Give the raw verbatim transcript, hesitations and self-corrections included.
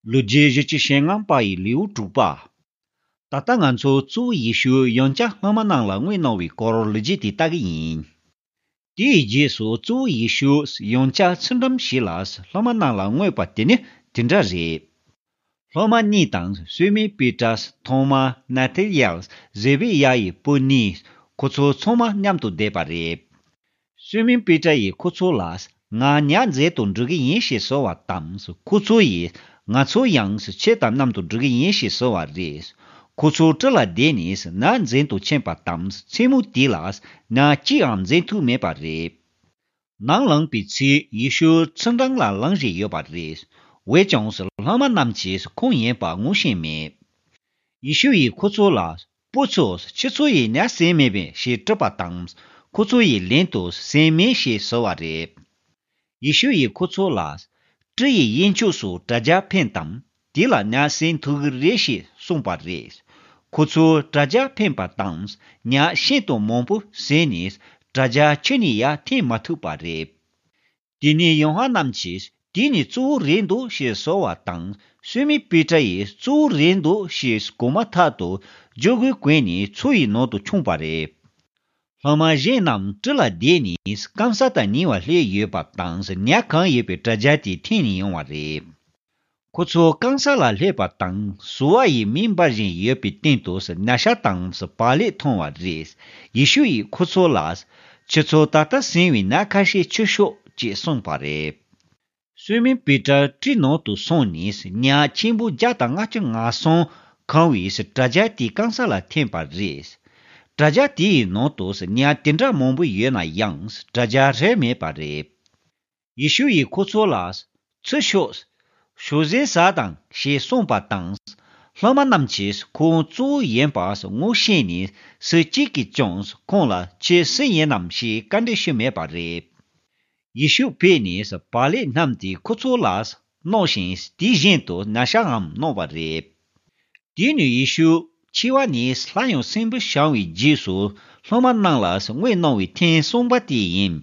ལོ་རྒྱུས་བཞི་བཅུ་ཞེ་ལྔ་པ་ཡི་ལེའུ་དྲུག་པ། ད་ལྟ་ང་ཚོ་གཙོ་བོ་ཡེ་ཤུ་ཡང་བསྐྱར་སློབ་མ་རྣམས་ལ་དངོས་གནང་བའི་སྐོར་ལོ་རྒྱུས་དེ་ལྟ་གི་ཡིན། དེའི་རྗེས་སུ་གཙོ་བོ་ཡེ་ཤུ་ཡང་བསྐྱར་ཚུལ་ཁྲིམས་ཞིག་ལ་སློབ་མ་རྣམས་ལ་མངོན་པ་དེ་ནི་དེ་འདྲ་རེད། སློབ་མ་གཉིས་དང་སུས་མིན་པི་ཏྲ། ཐོ་མ། ནཱ་ཐི་ཡེལ། ཟེ་བི་ཡ་ཡི་བུ་གཉིས། ཁོ་ཚོ་ཚང་མ་མཉམ་དུ་བསྡད་པ་རེད། སུས་མིན་པི་ཏྲ་ཡིས་ཁོ་ཚོ་ལ། ང་ཉ་འཛིན་དུ་འགྲོ་གི་ཡིན་ཞེས་ཟེར་བ་དང་། ཁོ་ཚོ་ཡིས། ང་ཚོ་ཡང་ཁྱེད་དང་མཉམ་དུ་འགྲོ་གི་ཡིན་ཞེས་ཟེར་བ་རེད། ཁོ་ཚོ་གྲུ་ལ་བསྡད་ནས་ཉ་འཛིན་དུ་ཕྱིན་པ་དང་། མཚན་མོ་དེ་ལ་ཉ་གཅིག་ཡང་འཛིན་ཐུབ་མེད་པ་རེད། ནམ་ལངས་པའི་ཚེ་ཡེ་ཤུ་ཚུལ་ཁྲིམས་ལ་ལངས་བཞིན་ཡོད་པ་རེད། འོན་ཀྱང་སློབ་མ་རྣམས་ཀྱིས་ཁོང་ཡིན་པ་ངོ་ཤེས་མེད། ཡེ་ཤུ་ཡིས་ཁོ་ཚོ་ལ། བུ་ཚོ། ཁྱེད་ཚོ་ཡིས་ཉ་ཟིན་མེད་པས་ཞེས་དྲིས་པ་དང་། ཁོ་ཚོ་ཡིས་ལན་དུ་ཟིན་མེད་ཞེས་ཟེར་བ་རེད། ཡེ་ཤུ་ཡིས་ཁོ་ཚོ་ལ། གྲུ་ཡི་གཡས་ཕྱོགས་སུ་དྲ་རྒྱ་འཕེན་དང་། དེ་ལ་ཉ་ཟིན་ཐུབ་ཀྱི་རེད་ཞེས་གསུངས་པ་རེད། ཁོ་ཚོས་དྲ་རྒྱ་འཕེན་པ་དང་། ཉ་ཤིན་ཏུ་མང་པོ་ཟིན་ནས་དྲ་རྒྱ་ཁྱོན་ནས་ཡར་འཐེན་མ་ཐུབ་པ་རེད། དེ་ནས་ཡོ་ཧ་ནན་གྱིས་དེ་ནི་གཙོ་བོ་རེད་འདུག་ཞེས་ཟེར་བ་དང་། སུས་མིན་པི་ཏྲ་ཡིས་གཙོ་བོ་རེད་འདུག་ཞེས་གོ་མ་ཐག་ཏུ་རྒྱུ་གུ་གོན་ནས་མཚོ་ཡི་ནང་དུ་མཆོངས་པ་རེད། སློབ་མ་གཞན་རྣམས་གྲུ་ལ་བསྡད་ནས་སྐམ་ས་དང་ཉེ་བར་སླེབས་ཡོད་པ་དང་། ཉ་གང་ཡོད་པའི་དྲ་རྒྱ་དེ་འཐེན་ནས་ཡོང་བ་རེད། ཁོ་ཚོ་སྐམ་ས་ལ་སླེབས་པ་དང་། ཟུར་བ་ཡི་མེ་འབར་བཞིན་ཡོད་པའི་སྟེང་དུ་ཉ་ཤ་དང་བག་ལེབ་མཐོང་བ་རེད། ཡེ་ཤུ་ཡིས་ཁོ་ཚོ་ལ། ཁྱེད་ཚོ་ད་ལྟ་ཟིན་པའི་ཉ་ཁ་ཤས་འཁྱེར་ཤོག་ཅེས་གསུངས་པ་རེད། སུས་མིན་པི་ཏྲ་གྲུའི་ནང་དུ་སོང་ནས་ཉ་ཆེན་པོ་བརྒྱ་དང་ལྔ་བཅུ་ང་གསུམ་གང་བའི་དྲ་རྒྱ་དེ་སྐམ་ས་ལ་འཐེན་པ་རེད། དྲ་རྒྱ་དེའི་ནང་དུ་ཉ་དེ་འདྲ་མང་པོ་ཡོད་ན་ཡང་དྲ་རྒྱ་རལ་མེད་པ་རེད། ཡེ་ཤུ་ཡིས་ཁོ་ཚོ་ལ། ཚུར་ཤོག་ཞོགས་ཟས་ཟ་དང་ཞེས་གསུངས་པ་དང་། སློབ་མ་རྣམས་ཀྱིས་ཁོང་གཙོ་བོ་ཡིན་པ་ངོ་ཤེས་ནས་སུ་གཅིག་གིས་ཀྱང་ཁོང་ལ་ཁྱེད་སུ་ཡིན་ནམ་ཞེས་བཀའ་འདྲི་ཞུས་མེད་པ་རེད། ཡེ་ཤུ་ཕེབས་ནས་བག་ལེབ་བསྣམས་ཏེ་ཁོ་ཚོ་ལ་གནང་ཞིང་དེ་བཞིན་དུ་ཉ་ཤའང་གནང་བ་རེད། དེ་ནས་ཡེ་ཤུ་འཆི་བ་ནས་སླར་ཡང་གསོན་པོར་བྱུང་བའི་རྗེས་སུ་སློབ་མ་རྣམས་ལ་དངོས་གནང་བའི་ཐེངས་གསུམ་པ་དེ་ཡིན།